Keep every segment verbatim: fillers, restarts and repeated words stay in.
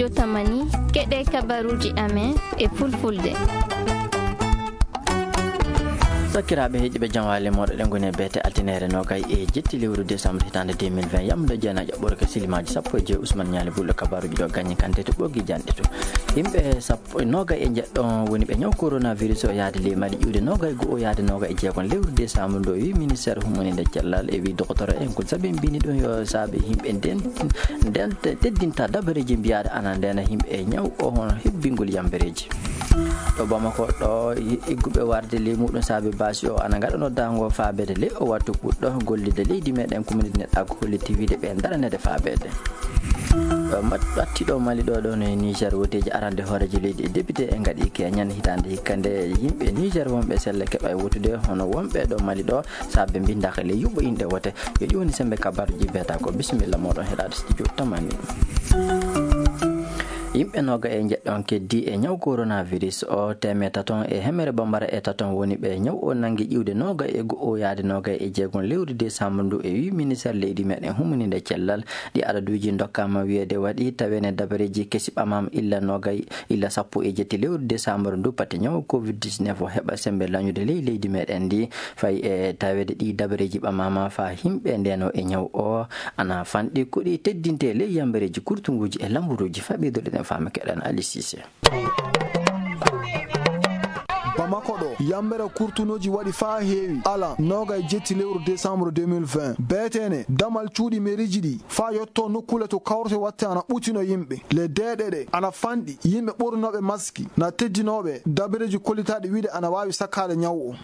Jotamani, keɗe kabaruuji amen e fulfulde. Sakiraaɓe heɗiiɓe, jam waali mooɗon. Eɗen ngoni e beete altineere nogay e jetti lewru décembre hitaande deux mille vingt. Yamde jeenajo ɓurke silimaaji sappo e joy. Usman Ñaali Bulɗo, kabaruuji ɗo gañi kante to ɓoggi janɗe to. Yimɓe sappo, nogay e jeɗɗo woni ɓe ñaw coronavirus o yaade ley Mali ƴiwde nogay goo o yaade nogay e jeegom lewru décembre ndo, wi ministère hummuninde cellal e wi dokotoro en ko sabi mbini ɗum yo saabe yimɓe nden, nden te-, teddinta dabareeji mbiyaɗe ana ndena yimɓe e ñaw o hono hebbingol yambereeji. Ɗo Bamako ɗo, i-, igguɓe warde ley muɗum saabe baasi o ana ngaɗa noddaango faabede ley o wattu puɗɗo gollide leydi meɗen communauté neɗɗaagu holliti wiide ɓe daranede faabede. Ɗo mat-, ɓatti ɗo Mali ɗo, ɗo no e Niger, woteeji arande hooreejo leydi e député e ngaɗi keñan hitaande hikka nde yimɓe Niger wonɓe sella keɓa e wotude hono wonɓe ɗo Mali ɗo, saabe mbindaaka ley yuɓɓo inɗe wote. Yo ɗi woni sembe kabaruji beeta ko. Bisimilla moɗon heɗaade studio tamani. Yimɓe noga e jeɗɗon keddi e ñaw coronavirus o, teemedde taton e hemere bambara e taton woni ɓe ñaw o nangi ƴiwde noga e go'o yaade noga e jeegom lewru décembre ndu, e wi ministère leydi meɗen humuninde cellal. Ɗi adaduuji ndokkaama wiyeede waɗi tawene dabareeji kesi ɓamaama illa nogay, illa sappo e jetti lewru décembre ndu, pati ñaw covid dix-neuf o heɓa sembe lañude ley leydi meɗen ndi. Fay e taweede ɗi dabareeji ɓamaama faa yimɓe ndeno e ñaw o ana fanɗi, ko ɗi teddinte ley yambereeji kurtunguuji e lamburuuji. Faa ɓeyduɗen e faama keɗen Ali Cissé. Bamako ɗo, yambere kurtunooji waɗi faa heewi, ala, noga e jetti lewru décembre deux mille vingt. Beetene, damal cuuɗi meriiji ɗi, faa yotto nokkuule to kawrete watte ana ɓutino yimɓe. Le deeɗe ɗe, ana fanɗi, yimɓe ɓornooɓe maski, na teddinooɓe, dabareeji kollitaaɗi wiide ana waawi sakkaade ñaw o.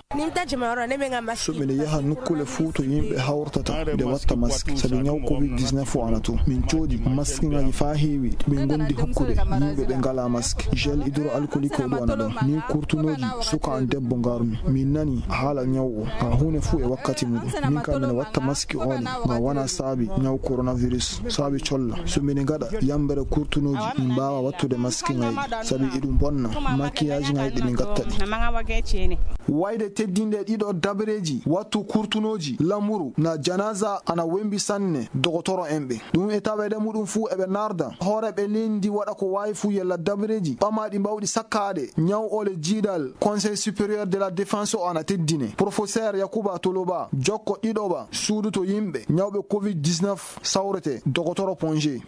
So miɗo yaha nokkuule fuu to yimɓe hawrtata, nde watta maski, sabi ñaw covid dix-neuf o ana to. Min coodi maskiŋaaji faa heewi, ɓe ngondi hokkude yimɓe ɓe ngalaa maski. Gel hydroalcoolique o ɗo ana ɗon. Ni kurtunooji suka an debbo ngarmi. Min nani haala ñaw o. Haa huune fuu e wakkati muɗum. Min kam miɗo watta maski o ne, ngam wana saabi ñaw coronavirus. Saabi colla. So miɗo ngaɗa yambere kurtunooji, min mbaawa wattude maskiŋaaji, sabi iɗum bonna. Makiyajiŋaaji ɗi min ngatta ɗi. Wayde teddinde ɗiɗo dabareeji, wattu kurtunooji, lamuru, na janaza ana wembi sanne, dogotoro en ɓe. Ɗum e taweede muɗum fuu eɓe narda hooreeɓe leydi waɗa ko waawi fuu yalla dabareeji ɓamaaɗi mbawɗi sakkaade ñaw ole jiidal Conseil supérieur de la défense o ana teddine. Professeur Yakuba Toloba, jokko ɗiɗoɓa suudu to yimɓe ñawɓe covid dix-neuf sawrete, dogotoro Ponge.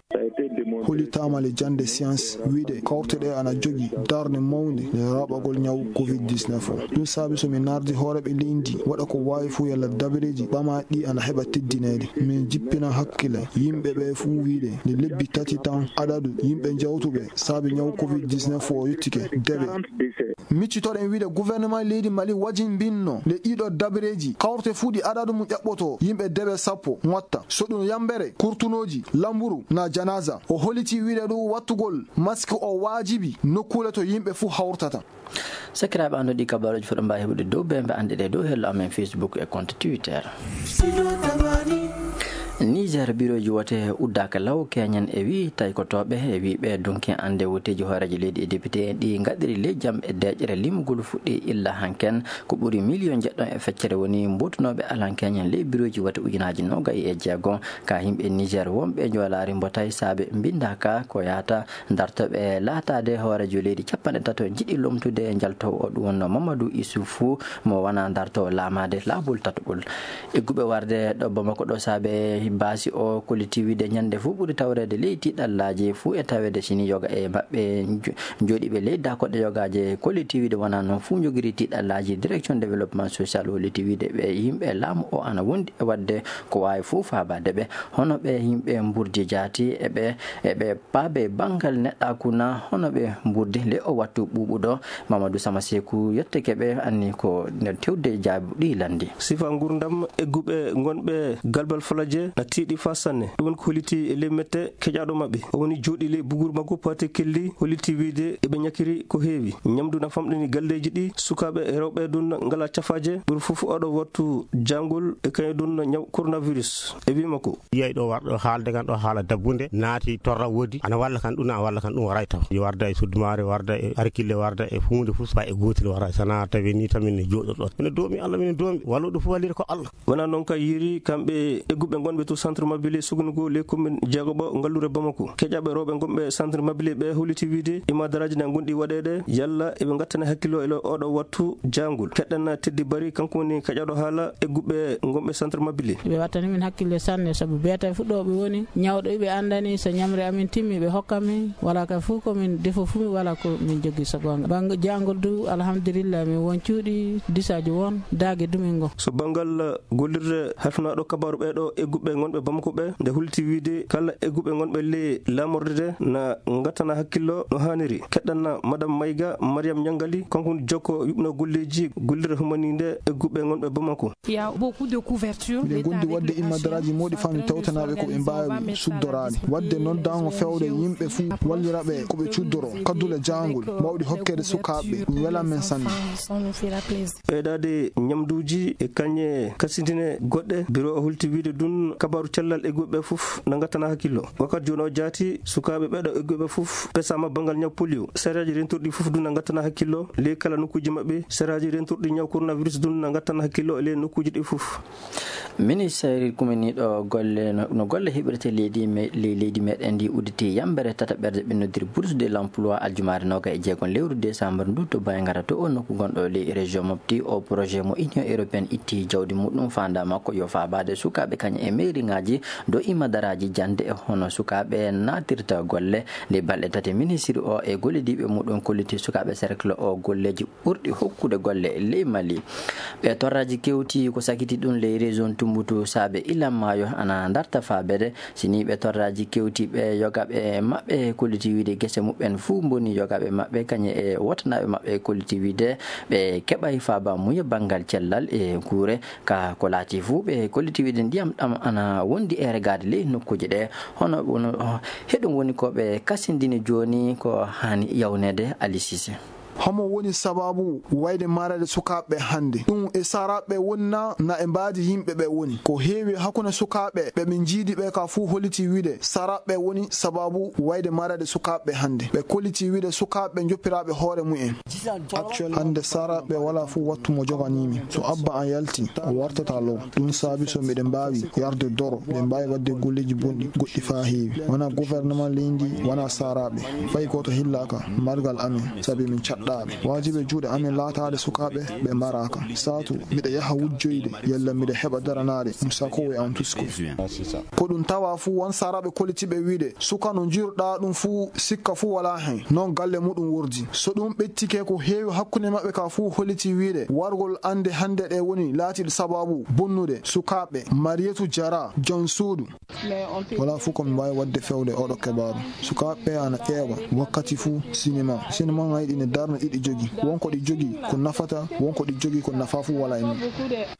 Hollitaama le jannde science wiide kawte ɗe ana jogii darnde mawnde e raɓɓagol ñaw covid dix-neuf o. Ɗum saabi so mi nardi hooreeɓe leydi waɗa ko waawi fuu yalla dabareeji ɓamaaɗi ana heɓa teddineede. Min jippina hakkille yimɓe ɓe fuu wiide nde lebbi tati tan adadu yimɓe jawtuɓe saabi ñaw covid dix-neuf o yottike deɓe. Miccitoɗen wiide gouvernement leydi Mali wajinbinno nde ɗiɗo dabareeji kawrte fuu ɗi adadu mum ƴaɓɓoto yimɓe deɓe sappo ŋotta. So ɗum yambere, kurtunooji, lamburu, na janaza. O holliti wiide ɗum wattugol maski o waajibi nokkuule to yimɓe fuu hawrtata. Sakiraaɓe annduɗi kabaruuji fof ɗo mbaawi heɓude dow bembe annduɗe dow hello amen Facebook e compte Twitter. Niger, birooji wote uddaaka law keñen e wi taykotooɓe e wi ɓe dunki annde woteeji hooreejo leydi e député en ɗi ngaɗiri ley jam e deeƴere limugol fuɗɗi illa hanken. Ko ɓuri miliyon jeɗɗo e feccere woni mbotunooɓe alankeeñen ley birooji wote ujunaaji nogay e jeego. Ka yimɓe Niger wonɓe njoolaari mbotay saabe mbindaaka ko yaata dartooɓe laataade hooreejo leydi capanɗe tato njiɗi lomtude njaltoowo o, ɗum wonno Mamadou Issoufou mo wona dartoowo laamaade laabol tataɓol. Egguɓe warde ɗo Bamako ɗo saabe baasi o kolliti wiide ñande fof ɓuri tawreede ley tiiɗallaaji fof e taweede sini yoga e maɓɓe njo-, jooɗiiɓe ley dakoɗe yogaaje kolliti wiide wona noon fof njogiri tiiɗallaaji. Direction développement social holliti wiide ɓe yimɓe laamu o ana wondi e waɗde ko waawi fof faabaade ɓe. Hono ɓe yimɓe mburdi jaati e ɓe, e ɓe paabe banngal neɗɗaaku na hono ɓe mburdi le o wattu ɓuuɓuɗo. Mamadou Sama Seku yetteke ɓe anni ko nder tewde jaabuɗi lanndi. Sifa ngurdam egguɓe ngonɓe Galbal Falaje na tiiɗi faa sanne. Ɗum woni ko holliti e ley mette keƴaaɗo maɓɓe. O woni jooɗi ley buguuru makko Paate Kelli holliti wiide eɓe ñakiri ko heewi. Ñamdu na famɗini galleeji ɗi, sukaaɓe e rewɓe ɗum na ngalaa cafaaje. Ɓuri fof oɗo wattu jaangol e kañum ɗum na ñaw coronavirus. E wii makko. Yiyay ɗo warɗo haalde kan ɗo haala dabbunde, naati torra woodi, ana walla kan ɗum, ana walla kan ɗum waray taw. Yo warda e suddumaare, warda e arkille, warda e huunde fof, fa e gootel waray. Sana tawi ni tan min jooɗoɗo. Mine doomi Allah, mine doomi. Walluɗo fof wallira ko Allah. Wona noon ka yiiri kamɓe egguɓe ngonɓe to centre Mabili Sugungu, les communes jeegoɓo ngallure Bamako. Keƴaɓe rewɓe gonɓe centre Mabili ɓe holliti wiide imadaraaji na gonɗi waɗeede, yalla eɓe ngattana hakkillo e oɗo wattu jaangol. Keɗɗan Teddy Bari, kanko woni keƴaɗo haala egguɓe gonɓe centre Mabili. Ɓe wattani min hakkille sanne, sabu beeta fuɗɗooɓe woni ñawɗo ɓe anndani, so ñamre amin timmi, ɓe hokka min. Wala ka fof ko min defo fuu, wala ko min jogii so goonga. Bannge jaangol du, alhamdulillah, min won cuuɗi disaaji won daage dumin ngo. So banngal gollirde halfinaaɗo kabaaru ɓeeɗo egguɓe gonɓe Bamako ɓe, nde hulti wiide kala egguɓe gonɓe ley laamorde nde na ngattana hakkillo no haaniri. Keɗɗan Madame Maïga Mariam Ñangali, kanko woni jokko yuɓno golleeji gollirde humaninde egguɓe gonɓe Bamako. Il y a beaucoup de couverture. Miɗen gondi waɗde immadaraaji moɗi fami tawtanaaɓe ko ɓe mbaawi suddoraade. Waɗde noddaango fewde yimɓe fuu wallira ɓe ko ɓe cuddoro kaddule jaangol, mawɗi hokkeede sukaaɓe, ɗum welan men sanne. Ɓeydaade ñamduuji e kañe kasindine goɗɗe, biro o hulti wiide ɗum kabaaru cellal egguɓe fof na ngattana hakkillo. Wakkati jooni o jaati, sukaaɓe ɓeeɗo egguɓe fof pesaama banngal ñaw polio. Saraaji rentorɗi fof du na ngattana hakkillo ley kala nokkuuji maɓɓe, saraaji rentorɗi ñaw coronavirus du na ngattana hakkillo ley nokkuuji ɗi fof. Ministeeri kuminiiɗo golle no, no golle heɓirte leydi me-, ley leydi meɗen ndi udditi yambere tataɓerde ɓe noddiri bourse de l'emploi aljumaare noga e jeegon lewru décembre ndu to Bayngara to o nokku gonɗo ley région Mopti. O projet mo Union Européenne itti jawdi muɗum, fanda makko yo faabaade sukaaɓe kañum e meeriŋaaji do imadaraaji jannde e hono sukaaɓe naatirta golle. Nde balɗe tati ministiri o e gollidiiɓe muɗum kolliti sukaaɓe cercle o golleeji ɓurɗi hokkude golle e ley Mali. Ɓe torraaji kewti ko sakiti ɗum ley région Tumbutu saabe ilan maayo ana darta faabeede. Sini ɓe torraaji kewti ɓe yoga ɓe maɓɓe kolliti wiide gese muɓɓen fuu mboni yoga ɓe maɓɓe kañe e wotanaaɓe maɓɓe kolliti wiide ɓe keɓay faaba muye banngal cellal e kuure. Ka ko laati fuu ɓe kolliti wiide ndiyam ɗam ana wondi e regaade ley nokkuuje ɗe. Hono, hono, heɗum woni ko ɓe kasindini jooni ko haani yawneede. Ali Sise. Homo woni sababu wayde mareede sukaaɓe hannde? Ɗum e saraaɓe woni na, na e mbaadi yimɓe ɓe woni? Ko heewi hakkunde sukaaɓe ɓe min njiidi ɓe ka fuu holliti wiide saraaɓe woni sababu wayde mareede sukaaɓe hannde. Ɓe kolliti wiide sukaaɓe njoppiraaɓe hoore mumen. Hannde saraaɓe wala fuu wattu mo joganii mi. So abba an yalti, o wartata law. Ɗum saabi so miɗen mbaawi yarde doro, miɗen mbaawi waɗde golleeji bonɗi goɗɗi faa heewi. Wona gouvernement leydi, wona saraaɓe. Fay gooto hillaaka margal amen, sabi min caɗɗaaɓe. Waajibi e juuɗe amen laataade sukaaɓe ɓe mbaraaka. Saatu, miɗa yaha wujjoyde, yalla miɗa heɓa daranaade, ɗum sakoowo e an tusko. Ko ɗum tawa fuu won saraaɓe kollitiiɓe wiide, suka no njiiruɗaa ɗum fuu, sikka fuu walaa hen. Noon galle muɗum wordi. So ɗum ɓettike ko heewi hakkunde maɓɓe ka fuu holliti wiide, wargol annde hannde ɗe woni laatiiɗe sababu bonnude sukaaɓe. Marietou Diarra, jom suudu. Wala fuu ko mi mbaawi waɗde fewde oɗo kebaaru. Sukaaɓe ana ƴeewa wakkati fuu sinema. Sinema ŋayɗi ne darna ɗiɗi jogi. Won ko ɗi jogi ko nafata, won ko ɗi jogi ko nafa fuu wala e mum.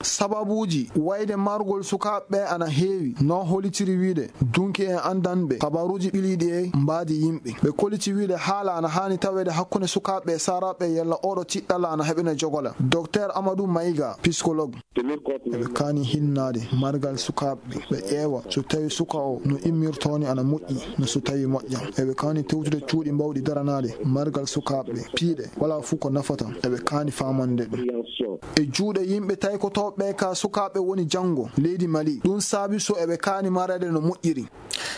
Sababuuji wayde margol sukaaɓe ana heewi, no hollitiri wiide, dunki en anndan ɓe, kabaruuji ɓiliiɗi e mbaadi yimɓe. Ɓe kolliti wiide haala ana haani taweede hakkunde sukaaɓe e saraaɓe yalla oɗo tiɗɗalla ana heɓina jogola. Docteur Amadou Maïga, psychologue. Eɓe kaani hinnaade margal sukaaɓe, ɓe ƴeewa so tawi suka o no immirtoo ni ana moƴƴi, no so tawi moƴƴa. Eɓe kaani tewtude cuuɗi mbawɗi daranaade margal sukaaɓe, piiɗe, wala fuu ko nafata. Eɓe kaani faamande ɗum. E juuɗe yimɓe taykotooɓe ka sukaaɓe woni janngo leydi Mali. Ɗum saabi so eɓe kaani mareede no moƴƴiri.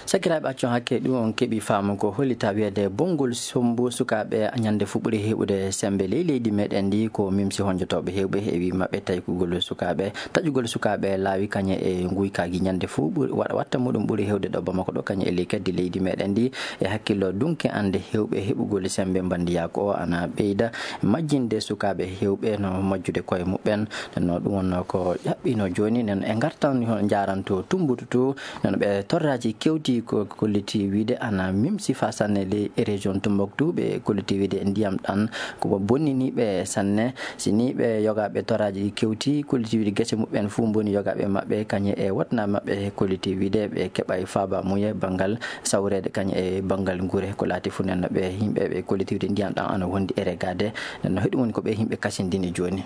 Sakiraaɓe, accon hakke ɗum on keɓi faamu ko hollita wiyeede bonngol sombu sukaaɓe ñande fuu ɓuri heɓude sembe ley leydi meɗen ndi ko mimsi honjotooɓe heewɓe e wii maɓɓe taykugol sukaaɓe, taƴugol sukaaɓe laawi kañe e nguykaaji ñande fuu ɓuri, wa-, watta muɗum ɓuri heewde ɗo Bamako ɗo kañe e ley keddi leydi meɗen ndi. E hakkillo dunke ande heewɓe heɓugol sembe mbandiyaaku o ana ɓeyda majjinde sukaaɓe heewɓe no majjude koye muɓɓen. Nden no ɗum wonno ko ƴaɓɓino jooni. Nden e ngartan ho-, njaaranto Tumbutu to. Nden ɓe torraaji kewti ko kolliti wiide ana mimsi faa sanne ley région Tumbuktu. Ɓe kolliti wiide ndiyam ɗan ko bonnini ɓe sanne. Si ni ɓe yogaaɓe torraaji kewti kolliti wiide gese muɓɓen fuu mboni yogaaɓe maɓɓe kañe e wotnaaɓe maɓɓe kolliti wiide ɓe keɓay faaba muye banngal sawreede kañe e banngal nguure. Ko laati fuu nden no ɓe yimɓe ɓe kolliti wiide ndiyam ɗan ana wondi e regaade. Nden no heɗum woni ko ɓe yimɓe kasindini jooni.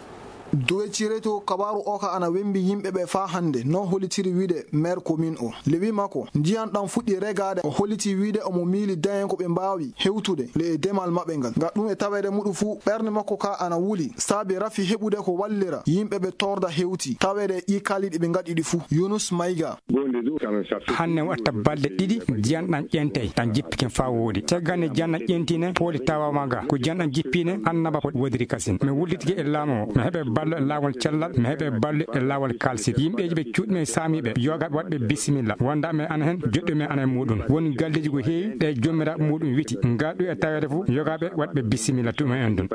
Duwe cireto kabaaru o ka ana wembi yimɓe ɓe faa hannde, no hollitiri wiide maire commune o. Lewi makko, ndiyan ɗan fuɗɗi regaade, o holliti wiide omo miili dayen ko ɓe mbaawi hewtude le e demal maɓɓe ngal. Nga ɗum e taweede muɗum fuu, ɓernde makko ka ana wuli, saabi rafi heɓude ko wallira yimɓe ɓe torda hewti, taweede ɗi kaliɗi ɓe ngaɗi ɗi fuu. Yunus Mayga. Hanne watta balɗe ɗiɗi, diyan ɗan ƴentey, ɗan jippike faa woodi. Teggane diyan ɗan ƴentine, pooli tawama ga. Ko diyan ɗan jippine, annaba ko wodiri kasin. Mi wullitike e laamu o. Mi heɓe ballo e laawol cellal, mi heɓe ballo e laawol kalsit. Yimɓeeji ɓe cuuɗmi e saamiiɓe, yoga waɗɓe bisimilla. Wonda men ana hen, joɗɗo men ana e muɗum. Woni galleeji ko heewi, ɗe jommiraaɓe muɗum witi. Ngaɗu e taweede fof, yogaɓe waɗɓe bisimilla tuma en ɗum.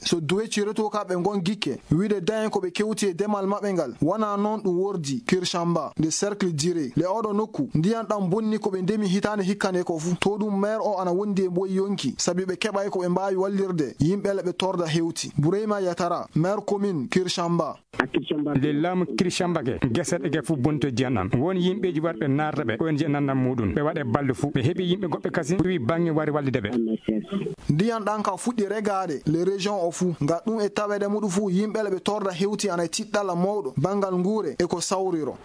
So duwe cireto ka ɓe ngon gikke, wiide dayen ko ɓe kewti e demal maɓɓe ngal, wona noon ɗum wordi Kirchamba, nde cercle Diré. Le oɗo nokku, ndiyan ɗan bonni ko ɓe ndemi hitaande hikka nde ko fuu. To ɗum maire o ana wondi e mboy yonki, sabi ɓe keɓay ko ɓe mbaawi wallirde yimɓe le ɓe torda hewti. Bureyma Yatara, maire commune Kirchamba. Le laamu Kirchamba ke, gese ɗe ke fuu bonto jiyan ɗan. Won yimɓeeji warɓe naarde ɓe, O N G nannan muɗum. Ɓe waɗe balɗe fuu. Ɓe heɓi yimɓe goɗɓe kasi, wi baŋŋe wari wallide ɓe. Ndiyan ɗan ka fuɗɗi regaade, le région o fuu. Nga ɗum e taweede muɗum fuu, yimɓe le ɓe torda hewti ana e tiɗɗalla mawɗo, banngal nguure e ko sawriro.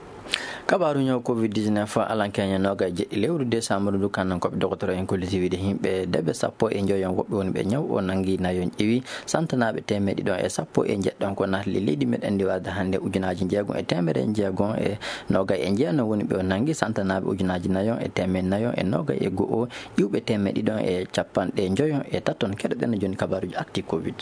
Kabaaru ñaw covid dix-neuf alankeñe noogay e jeɗɗi lewru décembre ndu, kannan ko ɓe dogotoro en kolliti wiide yimɓe debe sappo e njoyon woɓɓe woni ɓe ñaw o nangi nayon ƴewi santanaaɓe teemeɗɗe ɗiɗon e sappo e njeɗɗon ko naatli leydi meɗen ndi warde hannde ujunaaji njeegom e teemere njeegom e noogay e jeenom woni ɓe o nangi santanaaɓe ujunaaji nayon e teemeɗɗe nayon e noogay e go'o iwɓe teemeɗɗe ɗiɗon e capanɗe njoyon e taton. Keɗoɗen jooni kabaaruji acti covid.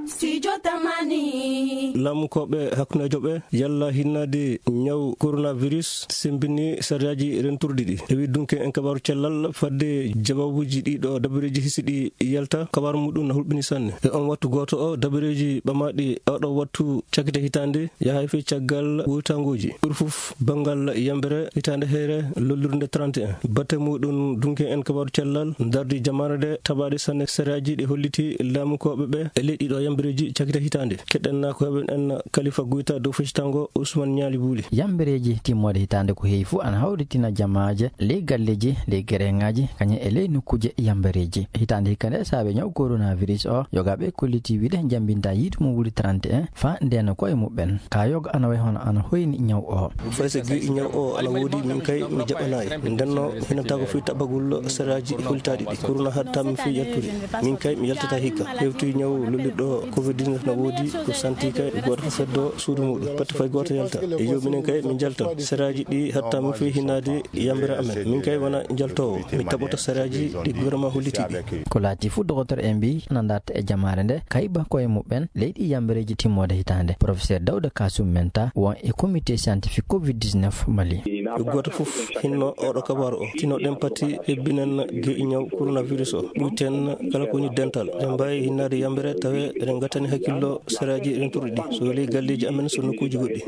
Studio Tamani. Laamukooɓe hakkundeejo ɓe yalla hinnaade ñaw coronavirus sembini sariyaaji renturɗi ɗi. Tawi dunke en kabaaru cellal fadde jawaabuuji ɗiɗo dabareeji hisiɗi yalta kabaaru muɗum na hulɓini sanne. E on wattu gooto o dabareeji ɓamaaɗi oɗo wattu cakite hitaande yahay fey caggal wuytangooji. Ɓuri fof banngal yambere hitaande heere lollirde trente et un. Batte muɗum dunke en kabaaru cellal dardi jamaare nde tabaade sanne sariyaaji ɗi holliti laamukooɓe ɓe e leyɗi ɗo yambereeji cakita hitaande. Keɗen na ko heɓen en Kalifa Guyta dow feccitango Ousmane Ñaali Buuli. Yambereeji timmoode hitaande ko heewi fof ana hawritina jamaaje ley galleeji, ley gereŋaaji, kañum e ley nokkuuje yambereeji. Hitaande hikka nde saabe ñaw coronavirus o, yogaaɓe kolliti wiide njambinta yiitu mum wuli trente et un, faa ndeena koye muɓɓen. Ka yoga ana way hono ana hoyni ñaw o. Fay so gi'i ñaw o ana woodi, min kay mi jaɓanaay. Ndenno hinantaako fii taɓagol saraaji hollitaaɗi ɗi. Korona haɗtaa min fii yaltude. Min kay mi yaltataa hikka. Hewti ñaw lollirɗo covid dix-neuf na woodi, ko santi kay gooto fof feddo suudu muɗum. Patti fay gooto yalta. E yo minen kay mi jalta. Saraaji ɗi haɗtaa min fii hinnaade yambere amen. Min kay wona jaltoowo. Mi taɓoto saraaji ɗi gouvernement holliti ɗi. Ko laati fof, dogotoro en mbii ana ndarta e jamaare nde kayba koye muɓɓen leyɗi yambereeji timmoode hitaande. Professeur Dawda Kasum Menta won e comité scientifique covid dix-neuf Mali. Gooto fof hinno oɗo kabaaru o. Tino ɗen pati hebbinen ge'i ñaw coronavirus o. Ɓuyten kala ko woni dental. Ɗen mbaawi hinnaade yambere tawe eɗen ngattani hakkillo saraaji rentuɗi ɗi. So weli galleeji amen, so nokkuuji goɗɗi.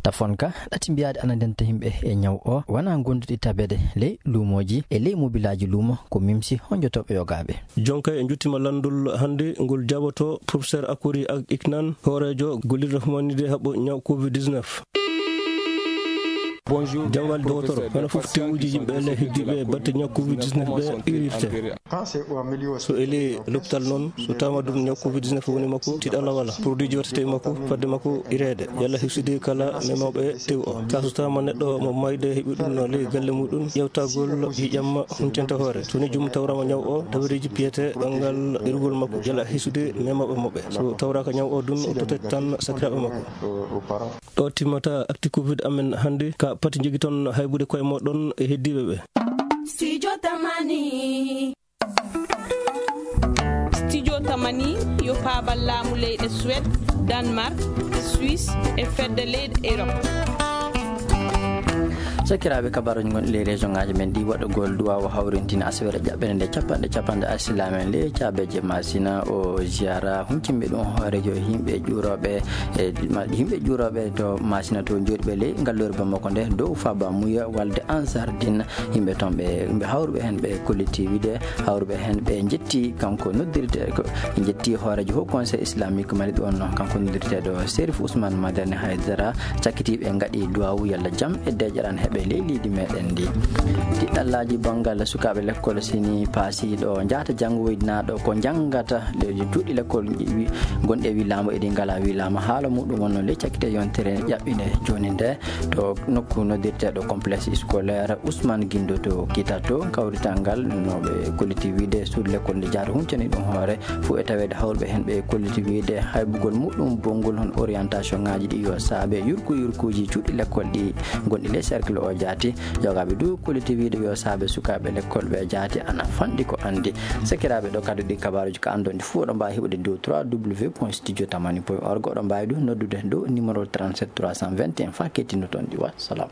Tafon ka ɗati mbiyaade ana ndenta yimɓe e ñaw o, wona gonduɗi tabeede ley luumooji e ley mobilaaji luumo ko mimsi honjotooɓe yogaaɓe. Jonka e njuttima lanndol hannde ngol jaboto professeur Akori Ak Iknan, hooreejo gollirɗo humanide haɓɓo ñaw covid dix-neuf. Bonjour. Jam wali dogotoro, hono fof tewuji yimɓe le heddiiɓe batte ñaw covid dix-neuf ɓe irirte. So eli l'hôpital noon, so tawama ɗum ñaw covid dix-neuf woni makko, tiɗalla wala. Produit ji waɗtete e makko, fadde makko ireede. Yalla hisude kala memawɓe tew o. Ka so tawama neɗɗo mo mayde heɓi ɗum no ley galle muɗum, ƴewtagol yiƴamma huncanta hoore. So ni jum tawrama ñaw o, dabareeji piyete ɓanngal irgol makko. Yalla hisude memawɓe maɓɓe. So tawraka ñaw o ɗum, o totet tan sakiraaɓe makko. Ɗo timmata acti covid amen hannde, ka pati jogiton haybude koye moɗon e heddiiɓe ɓe. Studio Tamani. Studio Tamani yo paabal laamu leyɗe Suède, Danemark, Suisse e fedde leyɗe Europe. Sakiraaɓe, kabaruji gonɗi ley région ngaji men ɗi, waɗugol duwawu hawrintina asawere jaɓɓere nde capanɗe capanɗe alsilamen ley caabeje Masina o ziyara huncimɓe ɗum hoorejo yimɓe ƴuuroɓe e ma-, yimɓe ƴuuroɓe to Masina to jooɗiɓe ley ngallure Bamako nde dow Faba Muya walde Ansar Din. Yimɓe toon ɓe, ɓe hawruɓe heen ɓe kolliti wiide hawruɓe heen ɓe njetti kanko noddirte ko, ɓe njetti hoorejo Haut Conseil Islamique Mali ɗoon noon kanko noddirteeɗo Serif Ousmane Madani Haydara, cakkitiiɓe ngaɗi duwawu yalla jam e deeƴaran heɓa. Ɓe leydi meɗen ndi. Tiɗɗallaaji banngal sukaaɓe lekkol sini paasiiɗo njaata janngoynaaɗo ko njanngata ɗe cuuɗi lekkol wi- gonɗe e wilaama eɗi ngalaa wilaama. Haala muɗum wonno ley cakkite yontere ƴaɓɓinde jooni nde to nokku noddirteeɗo complexe scolaire Ousmane Guindo to Kitato. Kawrital ngal no ɓe kolliti wiide suuɗi lekkol ndi jaata huncani ɗum hoore fuu e taweede hawruɓe heen ɓe kolliti wiide haybugol muɗum bonngol hon orientation ŋaaji ɗi yo saabe yurku yurkuuji cuuɗi lekkol ɗi gonɗi ley cercle o jaati. Jogaaɓe du kolliti wiide yo saabe sukaaɓe lekkol ɓe jaati ana fanɗi ko anndi. Sakiraaɓe, ɗo kadi ɗi kabaaruuji ka anndon ɗi fuu oɗon mbaawi heɓude dow trois w point studio tamani point org. Oɗon mbaawi du noddude dow numéro trente-sept trois cent vingt et un faa kettinno toon ɗi. Wa salam.